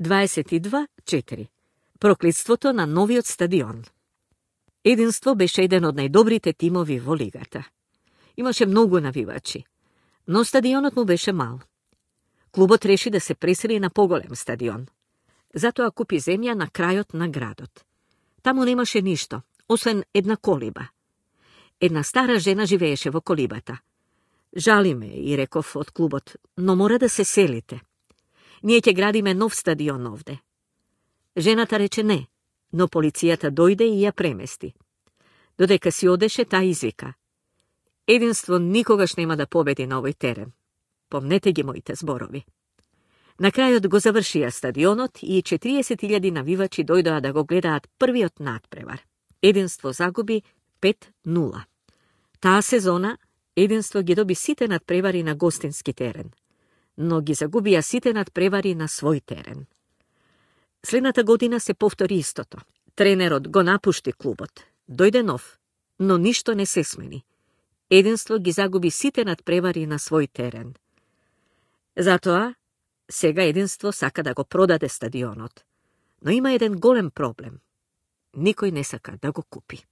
22:4. Проклетството на новиот стадион. Единство беше еден од најдобрите тимови во лигата. Имаше многу навивачи, но стадионот му беше мал. Клубот реши да се пресели на поголем стадион. Затоа купи земја на крајот на градот. Таму немаше ништо, освен една колиба. Една стара жена живееше во колибата. Жали ме, и реков од клубот, но мора да се селите. Ние ќе градиме нов стадион овде. Жената рече не, но полицијата дојде и ја премести. Додека си одеше, таа извика: Единство никогаш нема да победи на овој терен. Помнете ги моите зборови. На крајот го завршија стадионот и 40.000 навивачи дојдоа да го гледаат првиот надпревар. Единство загуби 5:0. Таа сезона Единство ги доби сите надпревари на гостински терен, но ги загубија сите надпревари на свој терен. Следната година се повтори истото. Тренерот го напушти клубот. Дојде нов, но ништо не се смени. Единство ги загуби сите надпревари на свој терен. Затоа, сега Единство сака да го продаде стадионот, но има еден голем проблем. Никој не сака да го купи.